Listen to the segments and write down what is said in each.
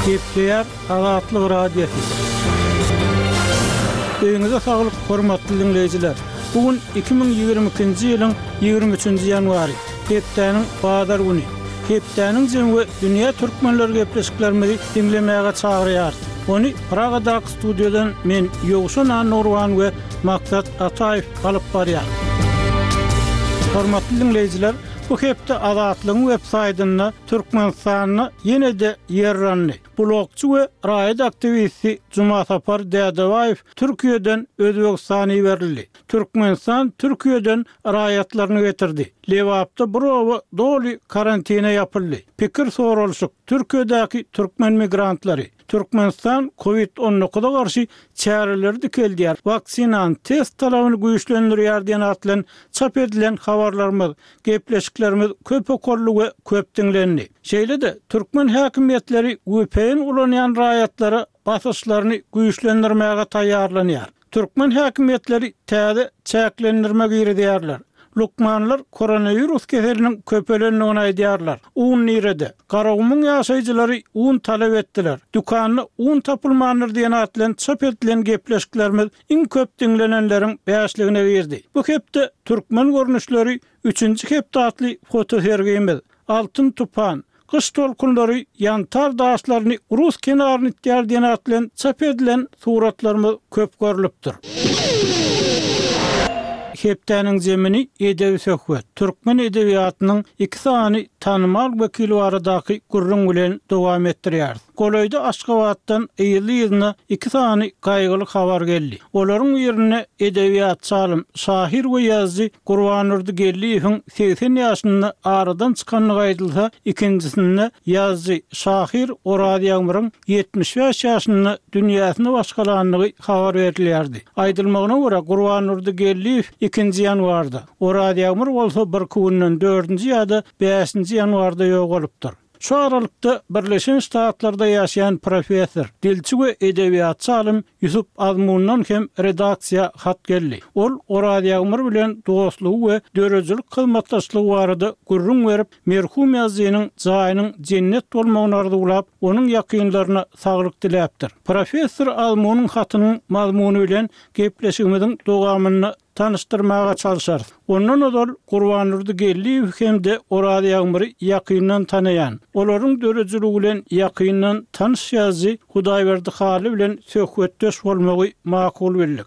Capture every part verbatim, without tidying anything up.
Gepleýär Azatlyk Radiosy. Öýüňize saglyk, hormatly diňleýjiler. Bu gün iki müň ýigrimi ikinji ýylyň ýigrimi üçünji ýanwary, hepdäniň bazar güni. Hepdäniň jemi we dünýä türkmenleri gepleşiklerimizi diňlemäge çagyrýarys. Ony Pragadaky studiýadan men Ýowşan Annurwan we Maksat Ataýew alyp barýar. Hormatly diňleýjiler, bu hepde Azatlygyň web saýtynda Türkmenistanda ýene-de ýerrandy. Blogçy we raýat aktiwisti Jumasapar Dädebaýew Türkiýeden Özbegistana iberildi. Türkmenistan Türkiýeden raýatlaryny getirdi. Lebapda bir oba doly karantina ýapyldy. Pikir soralyşyk, Türkiýedäki türkmen migrantlary. Türkmenistan COVID on dokuza garşy çäreleri dikeldýär. Waksinany test talabyny güýçlendirýär diýen atlan çap edilen habarlarymyz, gepleşiklerimiz köp okully we köp diňlendi. Şeýle-de türkmen häkimiýetleri V P N ulanýan raýatlara basyşlaryny güýçlendirmäge taýýarlanýar. Türkmen häkimiýetleri täze çäklendirme girizýärler. Lukmanlar koronawirus keseliniň köpelendigini aýdýarlar. Un nirede? Garagumuň ýaşaýjylary un talap etdiler. Dükanda un tapylmandyr diýen atlan çap edilen gepleşiklerimiz iň köp diňlenenleriň bäşligine girdi. Bu hepde türkmen görnüşleri üçünji hepde atly fotosergimiz Altyn tupan, gyş tolkunlary ýantar daşlaryny Rus kenaryny itýär diýen atlan çap edilen suratlarymyz köp görlüpdir. Hepdäniň zemini edebi söhbet. Türkmen edebiýatynyň iki sany tanymal wekili baradaky gürrüň bilen dowam etdirýäris. Golaýda Aşgabatdan ýyly-ýylyna iki sany gaýgyly habar geldi. Olaryň birinde edebiýatçy alym, şahyr we ýazyjy Gurbandurdy Geldiýewiň segsen ýaşynda aradan çykandygy aýdylsa, ikinjisinde ýazyjy, şahyr Oraz Ýagmyryň ýetmiş bäş ýaşynda dünýäsini başgalandygy habar berilýärdi. Aýdylmagyna görä Gurbandurdy Geldiýew ikinji ýanwarda, Oraz Ýagmyr bolsa bir günden dördünji ýa-da bäşinji ýanwarda ýogalypdyr. Şu aralykda Birleşen Ştatlarda ýaşaýan professor, dilçi we edebiýatçy alym Ýusup Azmundan hem redaksiýa hat geldi. Ol Oraz Ýagmyr bilen dostlugy we döredijilik hyzmatdaşlygy barada gürrüň berip, merhum ýazyjynyň jaýynyň jennet bolmagyny arzuwlap, onuň ýakynlaryna saglyk diläpdir. Professor Azmunyň hatynyň mazmuny bilen gepleşigimiziň dowamynda tanıştyrmaga çalışarys. Ondan ozal Gurbandurdy Geldiýew hem-de Oraz Ýagmyry ýakyndan tanaýan, olaryň döredijiligi bilen ýakyndan tanyş ýazyjy Hudaýberdi Hally bilen söhbetdeş bolmagy makul bildik.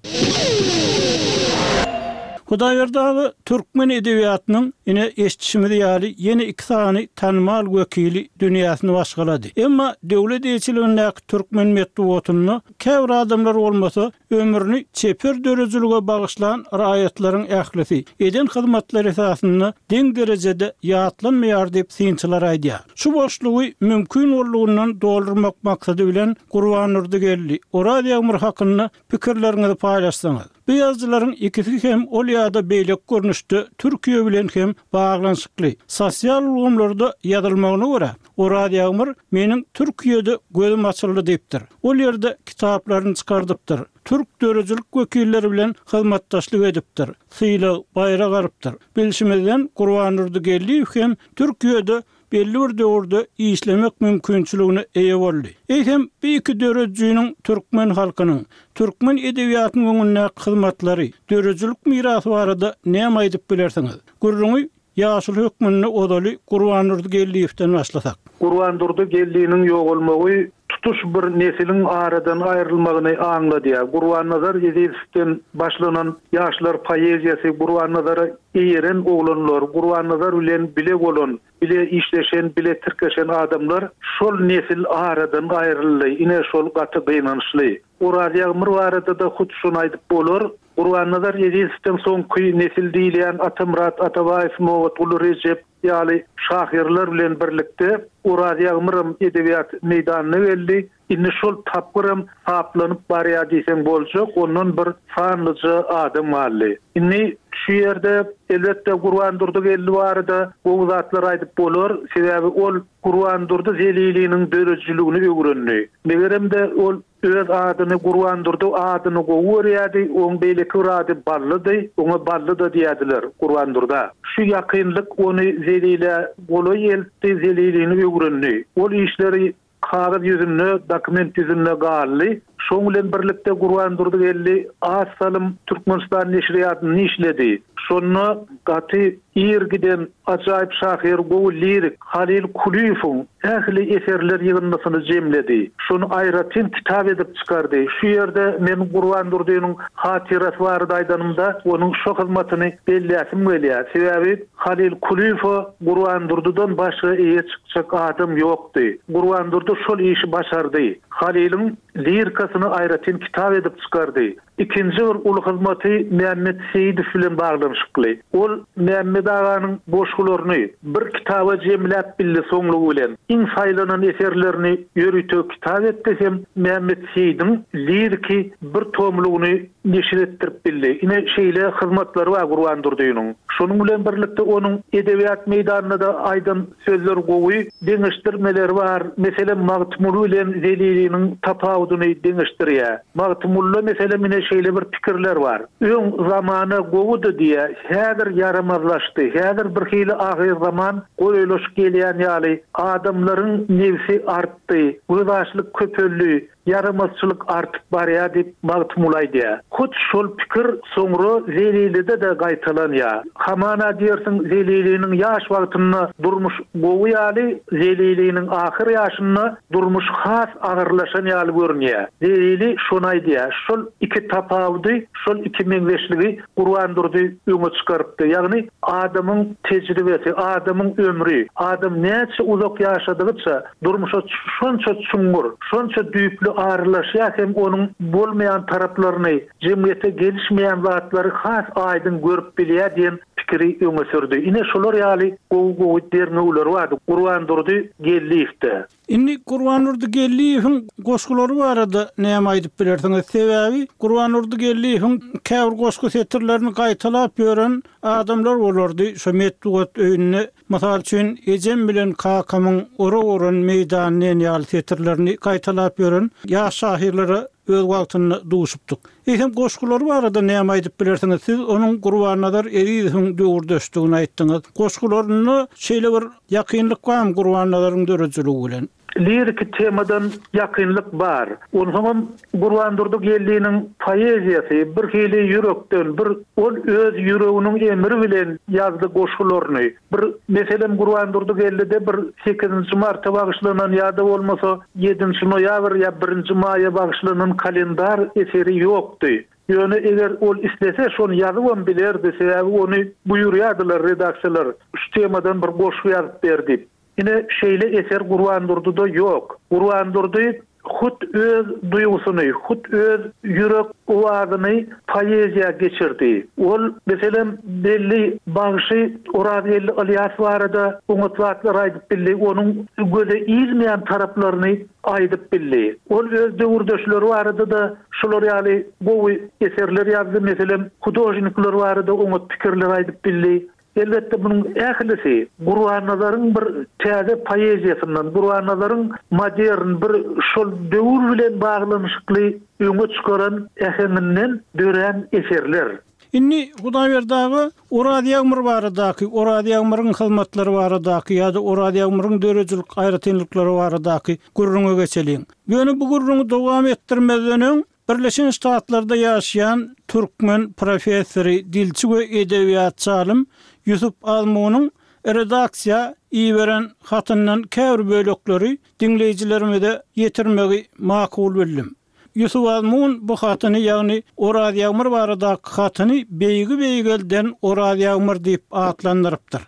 Hudaýberdi aga türkmen edebiýatynyň ine eşitişimiz ýaly ýene iki sany tanymal wekili dünýäsini başgalady. Emma döwlet eýeçiligindäki türkmen metbugatynda käbir adamlar bolmasa ömrüni çeper döredijilige bagyşlan raýatlaryň ählisi eden hyzmatlary esasynda deň derejede ýatlanmaýar diýip synçylar aýdýar. Şu boşlugy mümkin boldugyndan doldurmak maksady bilen Gurbandurdy Geldi, Oraz Ýagmyr hakynda pikirleriňizi paýlaşsaňyz. Bu ýazyjylaryň ikisi hem ol ýa-da beýleki görnüşde Türkiýe bilen hem baglanyşykly. Sosial ulgamlarda ýazylmagyna görä Oraz Ýagmyr meniň Türkiýede gözüm açyldy diýipdir. Ol ýerde kitaplaryny çykardypdyr. Türk döredijilik wekilleri bilen hyzmatdaşlyk edipdir. Sylag baýrak alypdyr. Bilşimizden Gurbandurdy Geldiýew hem Türkiýede belli bir döwürde işlemek mümkinçiligine eýe boldy. Eýsem bu iki döredijiniň türkmen halkynyň, türkmen edebiýatynyň öňündäki hyzmatlary, döredijilik mirasy barada näme aýdyp bilersiňiz? Gürrüňi ýaşuly hökmünde ozaly Gurbandurdy Geldiýewden başlasak. Gurbandurdy Geldiýewiň ýogalmagy tutuş bir nesiliň aradan aýrylmagyny aňladýar. Gurbannazar Ezizowdan başlanan ýaşlar poeziýasy, Gurbannazara eýeren oglanlar, Gurbannazar bilen bile bolan, bile işleşen, bile tirkeşen adamlar şol nesil aradan aýryldy. Ine şol gaty gynançly. Oraz Ýagmyr barada da hut şuny aýdyp bolar. Gurbannazar Ezizowdan soňky nesil diýilýän Atamyrat Atabaýew, Nobatguly Rejep ýaly şahyrlar bilen birlikde Oraz Ýagmyram edebiýat meýdanyna geldi. Indi şol tapgyram saplanyp barýar diýseň boljak, ondan bir sanlyja adam galdy. Indi şu ýerde elbetde Gurbandurdy Geldi barada gowy zatlar aýdyp bolar. Sebäbi ol Gurbandurdy Zeliliniň döredijiligini öwrendi. Megerem-de ol öz adyny Gurbandurdy adyny gowy görýärdi, oň beýleki bir ady Ballydy, oňa Bally da diýerdiler Gurbandurda. Şu ýakynlyk ony Zelile golaý eltdi, Zelilini öwrendi. Ol işleri kagyz ýüzünde, dokument ýüzünde galdy. Şoň bilen birlikde Gurbandurdy Geldi az salym Türkmenistan neşirýatyny işledi. Şonda gaty ir giden ajaýyp şahyr gowy lirik Halil Kulyýewiň ähli eserler ýygyndysyny jemledi. Şony aýratyn kitap edip çykardy. Şu ýerde men Gurbandurdynyň hatyrasy barada aýdanymda onuň şo hyzmatyny belläsim gelýär. Sebäbi Halil Kulyýewe Gurbandurdydan başga eýe çykjak adam ýokdy. Gurbandurdy şol işi başardy. Haliliň lirikasyny aýratyn kitap edip çykardy. Ikinji bir uly hyzmaty Mehmet Seýidow bilen baglanyşykly. Ol Mehmet aganyň goşgularyny bir kitaba jemläp bildi soňlugy bilen. Iň saýlanan eserlerini ýörite kitap etdi hem Mehmet Seýidiň liriki bir tomlugyny neşir etdirip bildi. Ine şeýle hyzmatlary bar Gurbandurdynyň. Şonuň bilen birlikde onuň edebiýat meýdanynda da aýdan sözler gowy deňeşdirmeleri bar. Meselem Magtymguly bilen Zeliliniň tapawudyny deňeşdirýär. Magtymgulyda meselem ine şeýle bir pikirler bar. Öň zamana gowudy diýe, häzir ýaramazlaşdy. Häzir bir hili ahyr zaman goýulaşyp gelýän ýaly adamlaryň nefsi artdy, gözaşlyk köpeldi, ýaramazçylyk artyp barýar diýip Magtymguly aýdýar. Hut şol pikir soňra Zelilide de gaýtalanýar. Hamana diýersiň Zeliliniň ýaş wagtynda durmuş gowy ýaly, Zeliliniň ahyr ýaşynda durmuş has agyrlaşan ýaly görünýär. Zelili şony aýdýar. Şol iki tapawudy, şol iki meňzeşligi Gurbandurdy öňe çykarypdy. Ýagny adamyň tejribesi, adamyň ömri, adam näçe uzak ýaşadygyça durmuşa şonça çuňňur, şonça düýpli aralaşýar hem onuň bolmaýan taraplaryny, jemgyýete gelişmeýän zatlary has aýdyň görüp bilýär diýen pikiri öňe sürdi. Ine şolar ýaly gowy-gowy derňewleri bardy Gurbandurdy Geldiýewde. Indi Gurbandurdy Geldiýewiň goşgulary barada näme aýdyp bilersiňiz? Sebäbi Gurbandurdy Geldiýewiň käbir goşgy setirlerini gaýtalap ýören adamlar bolardy. Şu metbugat öýünde mysal üçin ejem bilen kakamyň ora-oran meýdanyny ýaly setirlerini gaýtalap ýören ýaş şahyrlara öz wagtynda duşupdyk. Eýsem goşgulary barada näme aýdyp bilersiňiz? Siz onuň Gurbannazar Ezizowyň döwürdeşdigini aýtdyňyz. Goşgularyna şeýle bir ýakynlyk barmy Gurbannazaryň döredijiligi bilen? Liriki temadan ýakynlyk bar. Onsoňam Gurbandurdy Geldiniň poeziýasy bir hili ýürekden, bir ol öz ýüreginiň emri bilen ýazdy goşgularyny. Bir meselem Gurbandurdy Geldide bir sekizinji marta bagyşlanan ýa-da bolmasa ýedinji noýabr ýa birinji maýa bagyşlanan kalendar eseri ýokdy. Ýöne eger ol islese şony ýazybam bilerdi, sebäbi ony buýurýardylar redaksiýalar. Şu temadan bir goşgy ýazyp berdi. Ine şeýle eser Gurbandurdyda ýok. Gurbandurdy hut öz duýgusyny, hut öz ýürek owazyny poeziýa geçirdi. Ol meselem belli bagşy Orazgeldi Ilyas barada oňat zatlar aýdyp bildi, onuň göze ilmeýän taraplaryny aýdyp bildi. Ol öz döwürdeşleri barada da şular ýaly gowy eserler ýazdy, meselem hudožnikler barada oňat pikirler aýdyp bildi. Elbetde bunun ählisi Gurbannazaryň bir täze poeziýasyndan, Gurbannazaryň modern bir şol döwür bilen baglanyşykly öňe çykaran äheňinden dörän eserler. Indi Hudaýberdi aga Oraz Ýagmyr baradaky, Oraz Ýagmyryň hyzmatlary baradaky ýa-da Oraz Ýagmyryň döredijilik aýratynlyklary baradaky gürrüňe geçeliň. Ýöne bu gürrüňi dowam etdirmezden öň Birleşen Ştatlarda ýaşaýan türkmen professory, dilçi we edebiýatçy alym Ýusup Azmunyň redaksiýa iberen hatyndan käbir bölekleri diňleýjilerimize ýetirmegi makul bildim. Ýusup Azmun bu hatyny, ýagny Oraz Ýagmyr baradaky hatyny beýgi beýgelden Oraz Ýagmyr diýip atlandyrypdyr.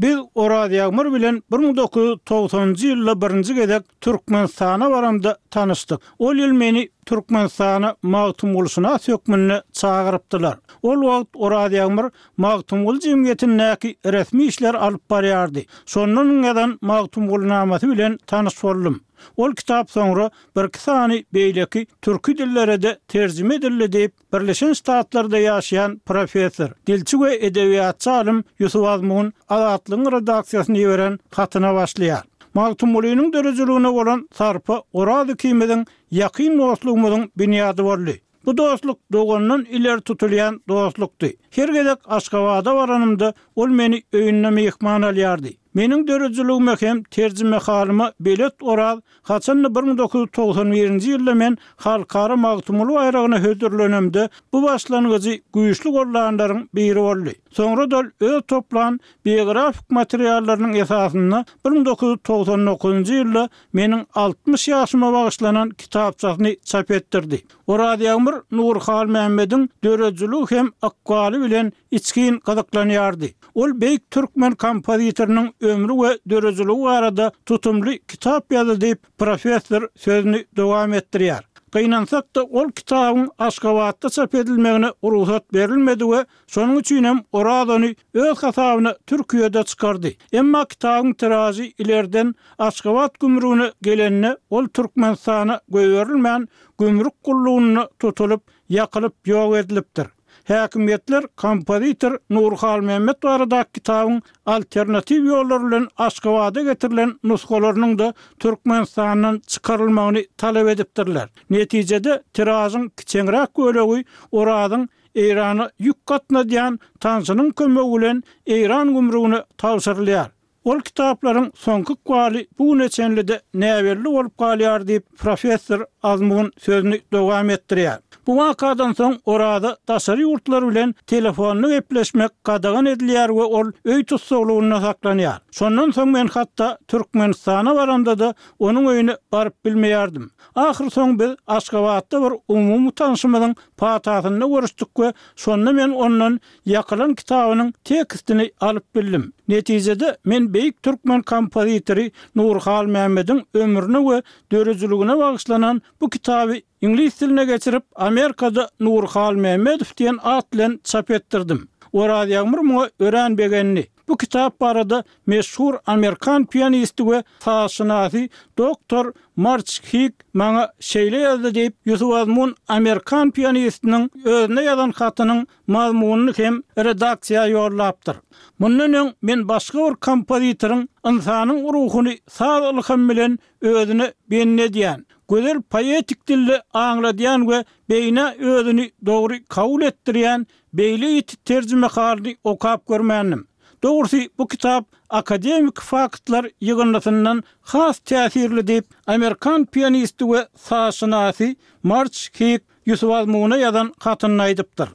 Biz Oraz Ýagmyr bilen bir müň dokuz ýüz togsanjy ýylda birinji gezek Türkmenistana baramda tanyşdyk. Ol ýyl meni Türkmenistana Magtymgulyşynas hökmünde çagyrypdylar. Ol wagt Oraz Ýagmyr Magtymguly jemgyýetindäki resmi işler alyp barýardy. Şondan ýazan Magtymgulynamasy bilen tanyş boldum. Ol kitap soňra bir iki sany beýleki türki dillere de terjime edildi diýip Birleşen Ştatlarda ýaşaýan professor, dilçi we edebiýatçy alym Ýusup Azmun Azatlygyň redaksiýasyny iberen hatyna başlaýar. Magtymgulynyň döredijiligine bolan sarpa Oraz ikimiziň ýakyn dostlugymyzyň binýady boldy. Bu dostluk dogandan ileri tutulýan dostlukdy. Her gezek Aşgabada baranymda ol meni öýünde myhman alýardy. Meniň döredijiligime hem terjimehalyma belet Oraz, haçanda bir müň dokuz ýüz togsan birinji ýylda men Halkara Magtymguly baýragyna hödürlenemde bu başlangyjy güýçli gollanlaryň biri boldy. Soňra-da ol öz toplan biografik materiallarynyň esasynda bir müň dokuz ýüz togsan dokuzynjy ýylda meniň altmyş ýaşyma bagyşlanan kitapçasyny çap etdirdi. Oraz Ýagmyr Nury Halmämmediň döredijiligi hem ykbaly bilen içgin gyzyklanýardy. Ol beýik türkmen kompozitorynyň ömri we döredijiligi barada tutumly kitap ýazdy diýip, professor sözüni dowam etdirýär. Gynansak-da, ol kitabyň Aşgabatda çap edilmegine rugsat berilmedi we şonuň üçin hem Oraz ony öz hasabyna Türkiýede çykardy. Emma kitabyň tiražy ilerden Aşgabat gümrügine gelende, ol Türkmenistana goýberilmän, gümrük gullugynda tutulyp, ýakylyp ýok edilipdir. Häkimiýetler kompozitor Nury Halmämmet baradaky kitabyň alternatiw ýollar bilen Aşgabada getirilen nusgalarynyň-da Türkmenistandan çykarylmagyny talap edipdirler. Netijede, tiražyň kiçeňräk bölegi Orazyň Eýrana ýük gatnadýan tanşynyň kömegi bilen Eýran gümrügine tabşyrylýar. Ol kitaplaryň soňky ykbaly bu güne çenli-de näbelli bolup galýar diýip, professor Azmun sözüni dowam etdirýär. Bu wakadan soň Oraza daşary ýurtlar bilen telefonda gepleşmek gadagan edilýär we ol öý tussaglygynda saklanýar. Şondan soň men hatda Türkmenistana baramda-da onuň öýüne baryp bilmeýärdim. Ahyrsoňy biz Aşgabatda bir umumy tanşymyzyň patasynda görüşdik we şonda men ondan Ýakylan kitabynyň tekstini alyp bildim. Netijede, men beýik türkmen kompozitory Nury Halmämmediň ömrüne we döredijiligine bagyşlanan bu kitaby iňlis diline geçirip, Amerikada Nury Halmämmedow diýen at bilen çap etdirdim. Oraz Ýagmyr muňa örän begendi. Bu kitap barada meşhur amerikan pianisti we sazşynasy doktor Març Hik maňa şeýle ýazdy diýip, Ýusup Azmun amerikan pianistiniň özüne ýazan hatynyň mazmunyny hem redaksiýa ýollapdyr. Mundan öň men başga bir kompozitoryň ynsanyň ruhuny saz ylhamy bilen özüne bendi edýän, gözel poetik dilde aňladýan we beýnä özüni dogry kabul etdirýän beýle ýiti terjimehalyny okap görmändim. Dogrusy, bu kitap akademiki faktlar ýygyndysyndan has täsirli diýip, amerikan pianisti we sazşynasy Març Hik Ýusup Azmuna ýazan hatynda aýdypdyr.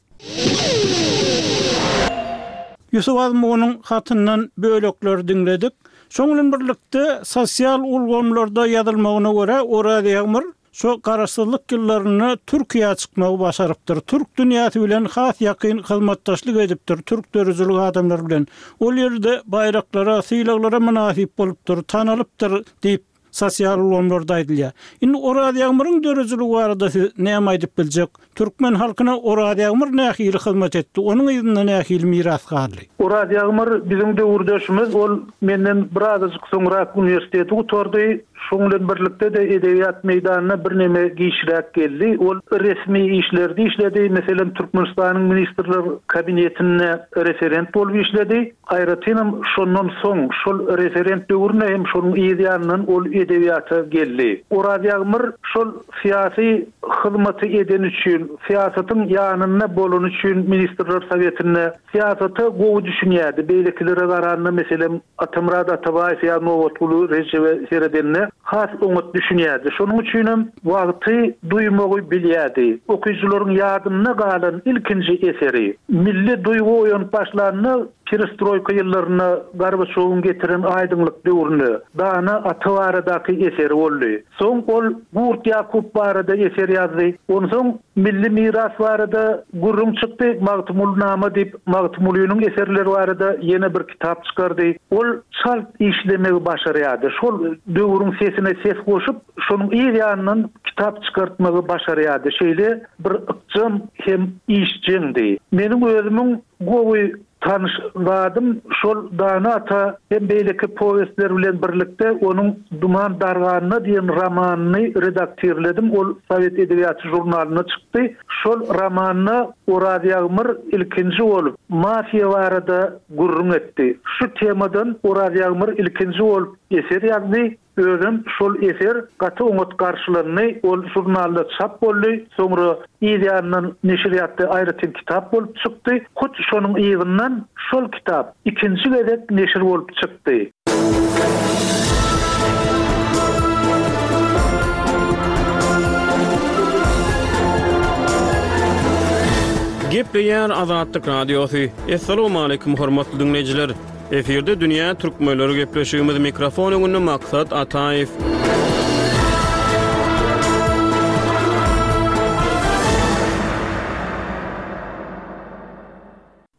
Ýusup Azmunyň hatyndan bölekleri diňledik. Şoň bilen birlikde, sosial ulgamlarda ýazylmagyna görä, Oraz Ýagmyr şo garaşsyzlyk ýyllarynda Türkiýä çykmagy başarypdyr. Türk dünýäsi bilen has ýakyn hyzmatdaşlyk edipdir, türk döredijilik adamlary bilen. Ol ýerde baýraklara, sylaglara mynasyp bolupdyr, tanalypdyr diýip, sosial ulgamlarda aýdylýar. Indi Oraz Ýagmyryň döredijiligi barada siz näme aýdyp biljek? Türkmen halkyna Oraz Ýagmyr nähili hyzmat etdi? Onuň yzynda nähili miras galdy? Oraz Ýagmyr biziň döwürdeşimiz. Ol menden birazajyk soňrak uniwersiteti gutardy. Şoň bilen birlikde-de edebiýat meýdanyna birneme giçräk geldi. Ol resmi işlerde işledi. Meselem, Türkmenistanyň Ministrler Kabinetinde referent bolup işledi. Aýratynam şondan soň, şol referent döwründe hem şonuň yz ýanyndan ol edebiýata geldi. Oraz Ýagmyr şol syýasy hyzmaty edeni üçin, syýasatyň ýanynda bolany üçin Ministrler Sowetinde syýasata gowy düşünýärdi. Beýlekilere garanda, meselem, Atamyrat Atabaýew ýa Nobatguly Rejebe seredende has oňat düşünýärdi. Şonuň üçinem wagty duýmagy bilýärdi. Okyjylaryň ýadynda galan ilkinji eseri, milli duýgy oýanyp başlanda, perestroýka ýyllarynda Gorbaçýowyň getiren aýdyňlyk döwründe Dana ata baradaky eseri boldy. Soň ol Gurt Ýakup barada eser ýazdy. Onsoň milli miras barada gürrüň çykdy, Magtymgulynama diýip, Magtymgulynyň eserleri barada ýene bir kitap çykardy. Ol çalt işlemegi başarýardy. Şol döwrüň sesine ses goşup, şonuň yz ýanyndan kitap çykartmagy başarýardy. Şeýle bir ykjam hem işjeňdi. Meniň özümiň gowy tanyş zadym şol Dana ata hem beýleki powestler bilen birlikde onuň Duman darganda diýen romanyny redaktirledim. Ol Sowet edebiýaty žurnalynda çykdy. Şol romanda Oraz Ýagmyr ilkinji bolup mafiýa barada gürrüň etdi. Şu temadan Oraz Ýagmyr ilkinji bolup eser ýazdy. Özem şol eser gaty oňat garşylandy, ol žurnalda çap boldy, soňra yz ýanyndan neşirýatda aýratyn kitap bolup çykdy. Hut şonuň yzyndan şol kitap ikinji gezek neşir bolup çykdy. Gepleýär Azatlyk Radiosy. Assalamualaikum hormatly dinleýjiler. Efirde Dünýä Türkmenleri gepleşigimiz mikrofon öňünde Maksat Ataýew.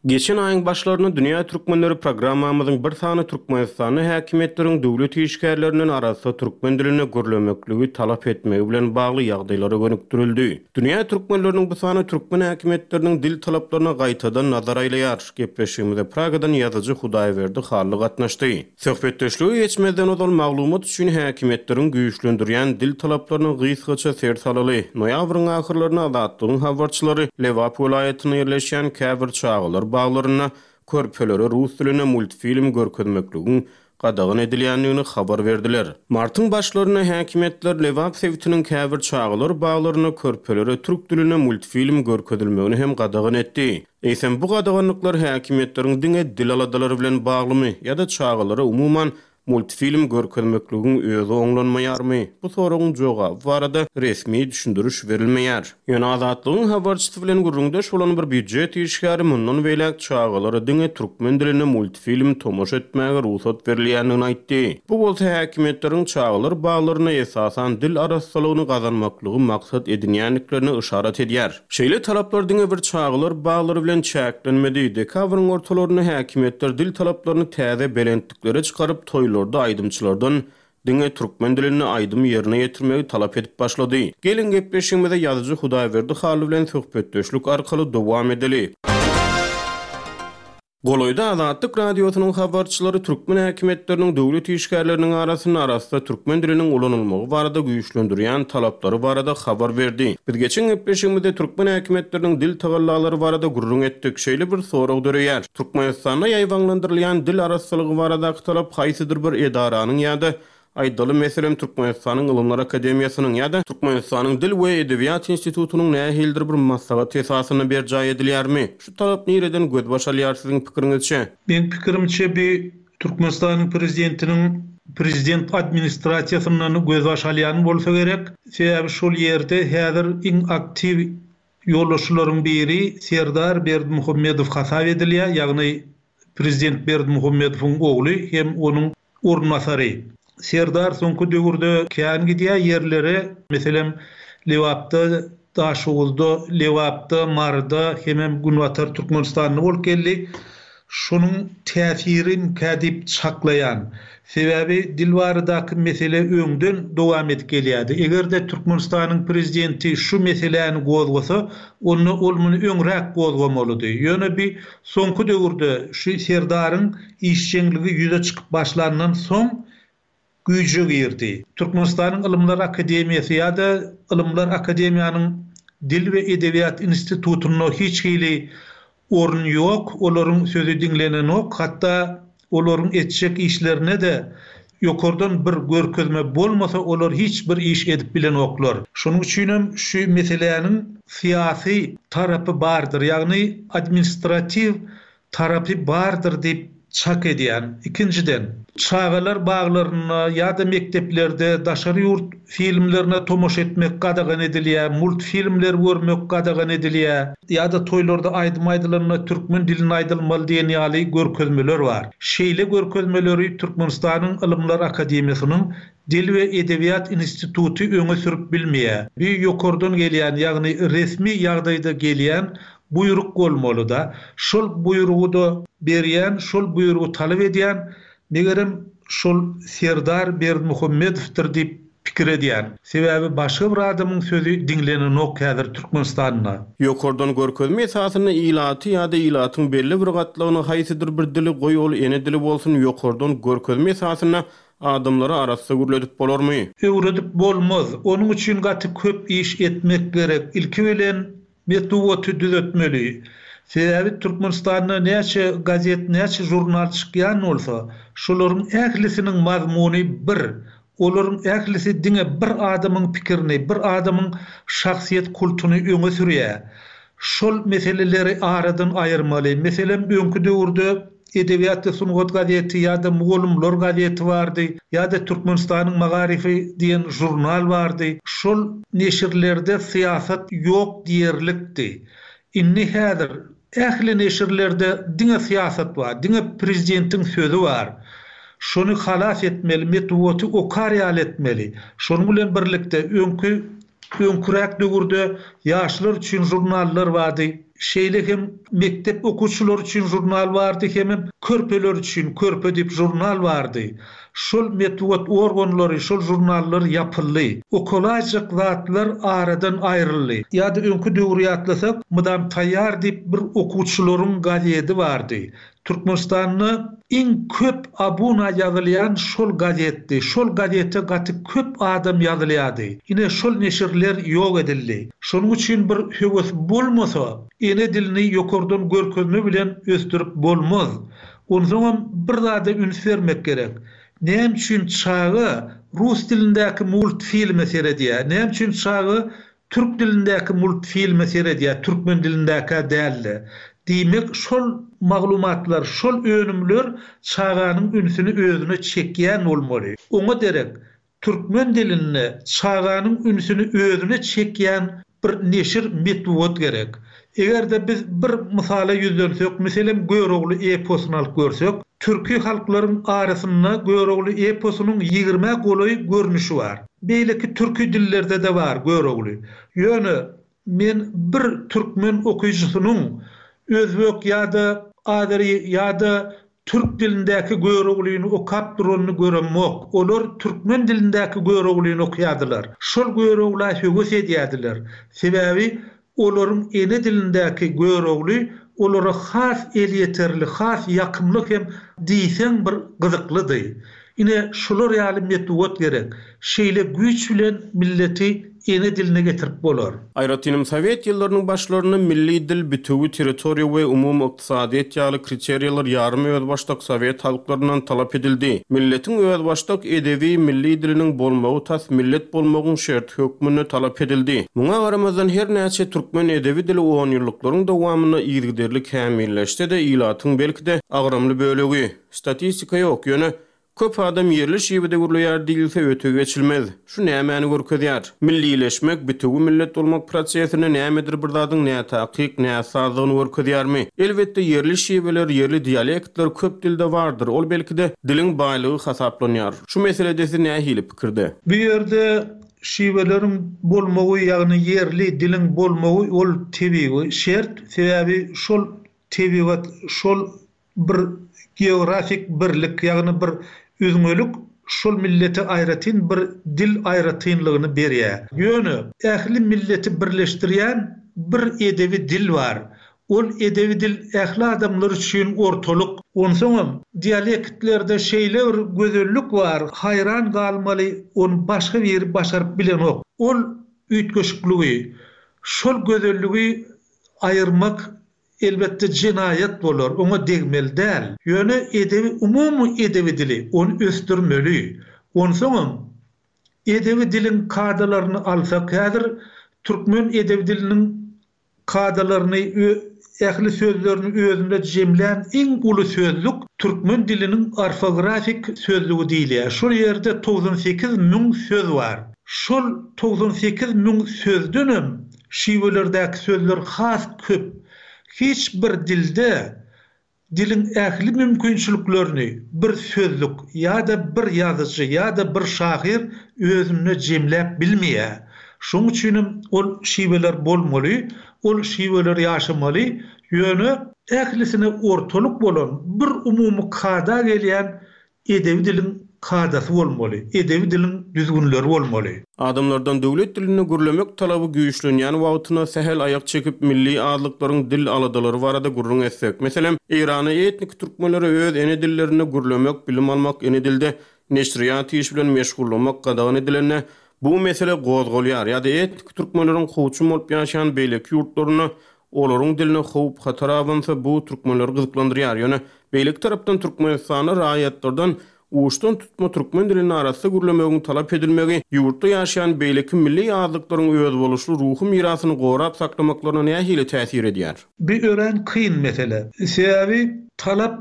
Geçen aýyň başlarynda Dünýä Türkmenleri programmamyzyň bir sany Türkmenistanda häkimiýetleriň döwlet işgärlerinden arassa türkmen dilinde gürlemekligi talap etmegi bilen bagly ýagdaýlara gönükdirildi. Dünýä Türkmenleriniň bu sany türkmen häkimiýetleriniň dil talaplaryna gaýtadan nazar aýlaýar. Gepleşigimize Pragadan ýazyjy Hudaýberdi Hally gatnaşdy. Söhbetdeşlige geçmezden ozal maglumat üçin häkimiýetleriň güýçlendirýän dil talaplaryna gysgaça ser salaly. Noýabryň ahyrlaryna Azatlygyň habarçylary Lebap welaýatynda ýerleşýän käbir çagalar baglarynda körpelere rus dilinde multfilm görkezmekligiň gadagan edilýändigini habar berdiler. Martyň başlarynda häkimiýetler Lebap sebitiniň käbir çagalar baglarynda körpelere türk dilinde multfilm görkezilmegini hem gadagan etdi. Eýsem bu gadaganlyklar häkimiýetleriň diňe dil aladalary bilen baglymy ýa-da çagalara umuman multfilm görkezmekligiň özi oňlanmaýarmy? Bu soragyň jogaby barada resmi düşündiriş berilmeýär. Ýöne Azatlygyň habarçysy bilen gürrüňdeş bolan bir býujet işgäri mundan beýläk çagalara diňe türkmen dilinde multfilm tomaşa etmäge rugsat berilýändigini aýtdy. Bu bolsa häkimiýetleriň çagalar baglaryna esasan dil arassalygyny gazanmaklygy maksat edinýändiklerini yşarat edýär. Şeýle talaplar diňe bir çagalar baglary bilen çäklenmedi. Dekabryň ortalarynda häkimiýetler dil talaplaryny täze belentliklere çykaryp toýlarda aýdymçylardan diňe türkmen dilinde aýdym ýerine ýetirmegi talap edip başlady. Gelin gepleşigimize ýazyjy Hudaýberdi Hally bilen söhbetdeşlik arkaly dowam edeli. Golaýda Azatlyk Radiosynyň habarçylary türkmen häkimiýetleriniň döwlet işgärleriniň arasynda arassa türkmen diliniň ulanylmagy barada güýçlendirýän talaplary barada habar berdi. Biz geçen gepleşigimizde türkmen häkimiýetleriniň dil tagallalary barada gürrüň etdik. Şeýle bir sorag döreýär. Türkmenistanda ýaýbaňlandyrylýan dil arassalygy baradaky talap haýsydyr bir edaranyň ýa-da aýdaly meselem Türkmenistanyň Ylymlar Akademiýasynyň ýa-da Türkmenistanyň Dil we Edebiýat institutynyň nähilidir bir maslahat esasynda berjaý edilýärmi? Şu talap nireden gözbaş alýar siziň pikiriňizçe? Men pikirimçe bir Türkmenistanyň prezidentiniň prezident administrasiýasyndan gözbaş alýan bolsa gerek. Sebäbi şol ýerde häzir iň aktiw ýolbaşçylaryň biri Serdar Berdimuhamedow hasap edilýär, ýagny prezident Berdimuhamedowyň ogly hem onuň orunbasary. Serdar soňky döwürde kän gidýär ýerlere, meselem Lebapda, Daşoguzda, Lebapda, Maryda hemem Günbatar Türkmenistanda bolup geldi. Şonuň täsiri kädip çaklaýan. Sebäbi dil baradaky mesele öňden dowam edip gelýärdi. Eger-de Türkmenistanyň prezidenti şu meseläni gozgasa, onda ol muny öňräk gozgamalydy. Ýöne bir soňky döwürde şu Serdaryň işjeňligi ýüze çykyp başlandan soň güýje girdi. Türkmenistanyň Ylymlar Akademiýasy ýa-da Ylymlar Akademiýanyň Dil we Edebiýat institutynda hiç hili orun ýok, olaryň sözi diňlenenok, hatda olaryň etjek işlerine de ýokardan bir görkezme bolmasa olar hiç bir iş edip bilenoklar. Şonuň üçin hem şu meseläniň syýasy tarapy bardyr, ýagny administratiw tarapy bardyr diýip çak edýän. Ikinjiden, çagalar baglarynda ýa-da mekdeplerde daşary ýurt filmlerine tomaşa etmek gadagan edilýär, multfilmler görmek gadagan edilýär ýa-da toýlarda aýdym aýdylanda türkmen dilinde aýdylmaly diýen ýaly görkezmeler bar. Şeýle görkezmeleri Türkmenistanyň Ylymlar Akademiýasynyň Dil we Edebiýat instituty öňe sürüp bilmeýär. Bir ýokardan gelýän, ýagny resmi ýagdaýda gelýän buýruk bolmaly da. Şol buýrugy da berýän, şol buýrugy talap edýän, megerem şol Serdar Berdimuhamedowdyr diýip pikir edýän. Sebäbi başga bir adamyň sözi diňlenenok häzir Türkmenistanda. Ýokardan görkezme esasynda ilaty ýa-da ilatyň belli bir gatlagyny haýsydyr bir dili goý ol ene dili bolsun ýokardan görkezme esasynda adamlara arassa gürledip bolarmy? Öwredip bolmaz. Onuň üçin gaty köp iş etmek gerek. Ilki bilen metbugaty düzetmeli. Sebäbi Türkmenistanda näçe gazet, näçe jurnal çykýan bolsa, şolaryň ählisiniň mazmuny bir. Olaryň ählisi diňe bir adamyň pikirini, bir adamyň şahsyýet kultuny öňe sürýär. Şol meseleleri aradan aýyrmaly. Meselem, öňki döwürde Edebiýat we sungat gazeti ýa-da Mugallymlar gazeti bardy, ýa-da Türkmenistanyň Magaryfy diýen jurnal bardy. Şol neşirlerde syýasat ýok diýerlikdi. Indi häzir ähli neşirlerde diňe syýasat bar, diňe prezidentiň sözi bar. Şony halas etmeli, metbugaty okar ýaly etmeli. Şonuň bilen birlikde öňki öňküräk döwürde ýaşlar üçin žurnallar bardy. Şeýle hem mekdep okuwçylary üçin žurnal bardy, hemem körpeler üçin Körpe diýip žurnal bardy. Şol metbugat organlary, şol žurnallar ýapyldy. Okalaýjak zatlar aradan aýryldy. Ýa-da öňki döwri ýatlasak, Mydam taýýar diýip bir okuwçylaryň gazedi bardy. Türkmenistanda iň köp abuna ýazylýan şol gazetdi. Şol gazete gaty köp adam ýazylýardy. Ine şol neşirler ýok edildi. Şonuň üçin bir höwes bolmasa, ene dilini ýokardan görkezme bilen ösdürip bolmaz. Onsoňam bir zada üns bermek gerek. Näme üçin çaga rus dilindäki multfilme seredýär? Näme üçin çaga türk dilindäki multfilme seredýär, türkmen dilindäkä däl-de? Diýmek, şol maglumatlar, şol önümler çaganyň ünsüni özüne çekýän bolmaly. Oňa derek türkmen dilinde çaganyň ünsüni özüne çekýän bir neşir, metbugat gerek. Eger-de biz bir mysala ýüzlensek, meselem, Görogly eposyny alyp görsek, türki halklaryň arasynda Görogly eposynyň ýigrimä golaý görnüşi bar. Beýleki türki dillerde-de bar Görogly. Ýöne men bir türkmen okyjysynyň özbek ýa-da azeri ýa-da türk dilindäki Göroglyny okap duranyny göremok. Olar türkmen dilindäki Göroglyny okaýardylar. Şol Görogla höwes edýärdiler. Sebäbi olaryň ene dilindäki Görogly olara has elýeterli, has ýakymly hem diýseň bir gyzyklydy. Ine şular ýaly metbugat gerek. Şeýle güýç bilen milleti ene diline getirip bolar. Aýratynam sowet ýyllarynyň başlarynda milli dil, bitewi territoriýa we umumy ykdysadyýet ýaly kriteriýalar ýarym özbaşdak sowet halklaryndan talap edildi. Milletiň özbaşdak edebi milli diliniň bolmagy tas millet bolmagyň şerti hökmünde talap edildi. Muňa garamazdan her näçe türkmen edebi dili on ýyllyklaryň dowamynda yzygiderli kämilleşse-de ilatyň belki-de agramly bölegi. Statistika ýok, ýöne köp adam ýerli şiwede gürleýär diýilse öte geçilmez. Şu nämäni görkezýär? Millileşmek, bitewi millet bolmak prosesine nämedir bir zadyň nätakyk, näsazlygyny görkezýärmi? Elbetde ýerli şiweler, ýerli dialektler köp dilde bardyr. Ol belki-de diliň baýlygy hasaplanýar. Şu meselede siz nähili pikirde? Bu ýerde şiweleriň bolmagy, ýagny ýerli diliň bolmagy ol tebigy şert. Sebäbi şol tebigat, şol bir geografik birlik, ýagny bir üzňelik şol millete aýratyn bir dil aýratynlygyny berýär. Ýöne ähli milleti birleşdirýän bir edebi dil bar. Ol edebi dil ähli adamlar üçin ortalyk. Onsoňam dialektlerde şeýle bir gözellik bar, haýran galmaly, ony başga biri başaryp bilenok. Ol üýtgeşikligi, şol gözelligi aýyrmak elbetde jenaýat bolar, oňa degmeli däl. Ýöne edebi, umumy edebi dili ony ösdürmeli. Onsoňam edebi diliň kadalaryny alsak, häzir türkmen edebi diliniň kadalaryny, ähli sözlerini özünde jemlän iň uly sözlük türkmen diliniň orfografik sözlügi diýilýär. Şol ýerde togsan sekiz müň söz bar. Şol togsan sekiz müň sözdenem şiwelerdäki sözler has köp. Hiç bir dilde diliň ähli mümkinçiliklerini bir sözlük ýa-da bir ýazyjy ýa-da bir şahyr özünde jemläp bilmeýär. Şonuň üçinem ol şiweler bolmaly, ol şiweler ýaşamaly, ýöne ählisine ortalyk bolan bir umumy kada gelýän edebi diliň kadasy bolmaly, edebi diliň düzgünleri bolmaly. Adamlardan döwlet dilinde gürlemek talaby güýçlenýän wagtyna sähel aýak çekip milli azlyklaryň dil aladalary barada gürrüň etsek. Meselem, Eýrana etnik türkmenlere öz ene dillerinde gürlemek, bilim almak, ene dilde neşirýat iş bilen meşgullamak gadagan edilende bu mesele gozgalýar. Ýa-da etnik türkmenleriň kowçum bolup ýaşaýan beýleki ýurtlaryna olaryň diline howp hatar abansa bu türkmenleri gyzyklandyrýar. Ýöne beýleki tarapdan Türkmenistanda raýatlardan uçdan tutma türkmen dilini arasy gürlemegiň talap edilmegi ýurtda ýaşaýan beýleki milli azlyklaryň özboluşly ruhy mirasyny gorap saklamaklaryna nähili täsir edýär? Bu örän kyn mesele. Sebäbi talap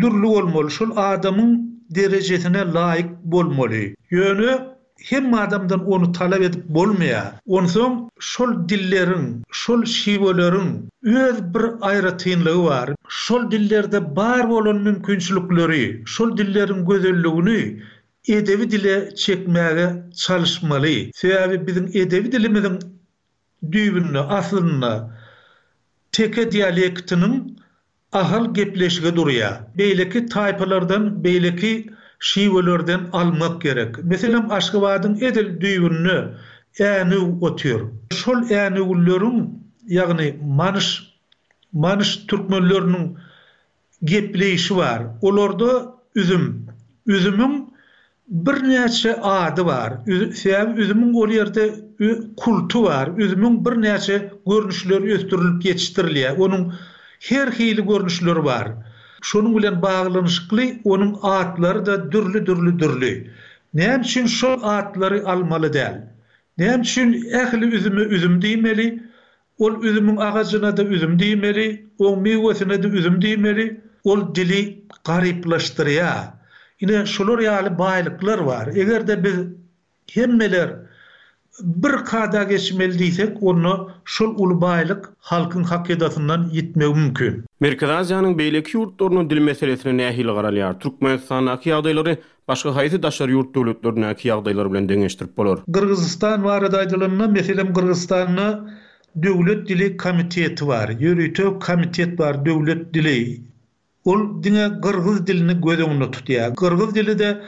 dürli bolmaly, şol adamyň derejesine laýyk bolmaly. Ýöne Hemme adamdan ony talap edip bolmaýar. Onsoň şol dilleriň, şol şiweleriň öz bir aýratynlygy bar. Şol dillerde bar bolan mümkinçilikleri, şol dilleriň gözelligini edebi dile çekmäge çalyşmaly. Sebäbi biziň edebi dilimiziň düýbünde, aslynda teke dialektiniň Ahal gepleşigi durýar. Beýleki taýpalardan, beýleki şiwelerden almak gerek. Meselem, Aşgabadyň edil düýbünde Änew otyr. Şol änewlileriň, ýagny manyş, manyş türkmenleriniň gepleýşi bar. Olarda üzüm. Üzümiň Birnäçe ady bar. Sebäbi üzümiň ol ýerde kulty bar. Üzümiň birnäçe görnüşleri ösdürilip ýetişdirilýär. Onuň her hili görnüşleri bar. Şonuň bilen baglanyşykly onuň atlary-da dürli-dürli dürli. Näme üçin şol atlary almaly däl? Näme üçin ähli üzüme üzüm diýmeli? Ol üzümiň agajyna-da üzüm diýmeli, oň miwesine-de üzüm diýmeli. Ol dili garyplaşdyrýar. Ine, şular ýaly baýlyklar bar. Eger-de biz hemmeler bir kada geçmeli diýsek, onda şol uly baýlyk halkyň hakydasyndan ýitmegi mümkin. Merkezi Aziýanyň beýleki ýurtlarynda dil meselesine nähili garalýar? Türkmenistandaky ýagdaýlary başga haýsy daşary ýurt döwletlerindäki ýagdaýlar bilen deňeşdirip bolar? Gyrgyzystan barada aýdylanda, meselem, Gyrgyzystanda Döwlet dili komiteti bar, ýörite komitet bar döwlet dili. Ol diňe gyrgyz dilini göz öňünde tutýar. Gyrgyz dili-de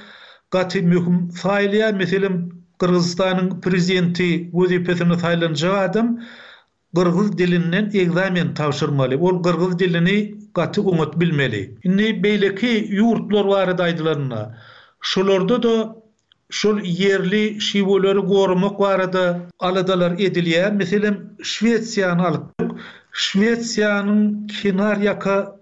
gaty möhüm saýylýar. Meselem, Gyrgyzystanyň prezidenti wezipesine saýlanjak adam gyrgyz dilinden ekzamen tabşyrmaly. Ol gyrgyz dilini gaty oňat bilmeli. Indi beýleki ýurtlar barada aýdylanda, şolarda-da Şol ýerli şiweleri goramak barada aladalar edilýär. Meselem, Şwesiýany alyp, Şwesiýanyň kenar ýaka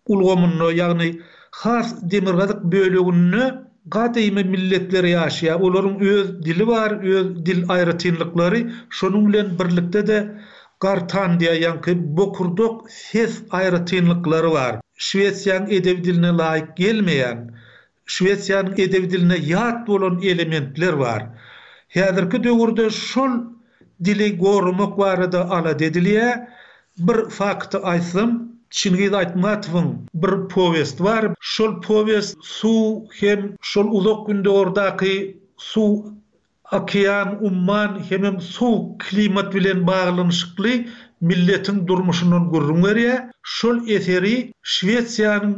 ulgamynda, ýagny has demirgazyk böleginde gadymy milletler ýaşaýar. Olaryň öz dili bar, öz dil aýratynlyklary, şonuň bilen birlikde-de gartan diýýär, ýaňky bokurdak ses aýratynlyklary bar. Şwesiýanyň edebi diline laýyk gelmeýän Şwesiýanyň edebi diline ýat bolan elementler bar. Häzirki döwürde şol dili goramak barada alada edilýär. Bir fakty aýtsam, Çingiz Aýtmatowyň bir powesti bar. Şol powest suw hem şol Uzak Gündogardaky suw, okean, umman hemem sowuk klimat bilen baglanyşykly milletiň durmuşyndan gürrüň berýär. Şol eseri Şwesiýanyň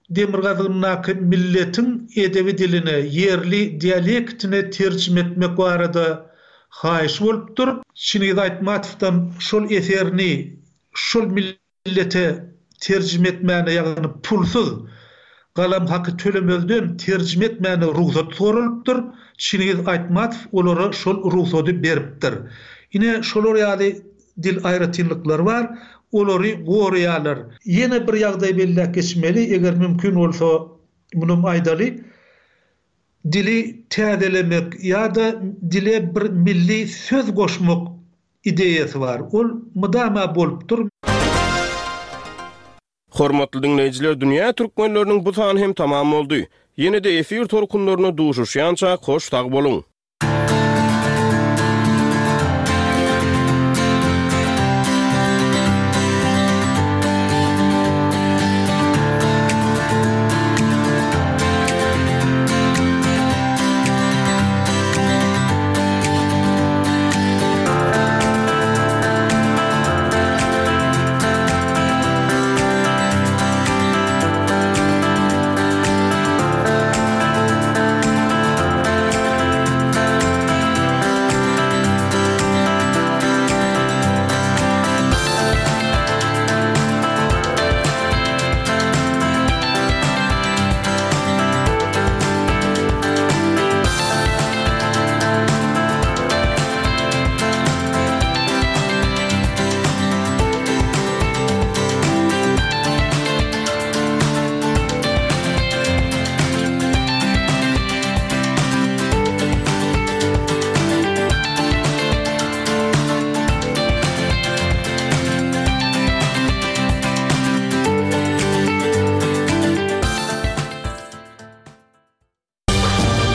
demirgazygyndaky milletiň edebi diline, ýerli dialektine terjime etmek barada haýyş bolupdyr. Çingiz Aýtmatowdan şol eserini şol millete terjime etmäne, ýagny pulsuz, galam haky tölemezden terjime etmäne rugsat soralypdyr. Çingiz Aýtmatow olara şol rugsady beripdir. Ine, şolar ýaly Dil aýratynlyklary bar, olary goraýarlar. Ýene bir ýagdaý belläp geçmeli, eger mümkin bolsa, munam aýdaly. Dili täzelemek ýa-da dile bir milli söz goşmak ideýasy bar. Ol mydama bolupdyr. Hormatly diňleýjiler, Dünýä türkmenleriniň bu sany hem tamam boldy. Ýene-de efir tolkunlarynda duşuşýançak hoş sag boluň!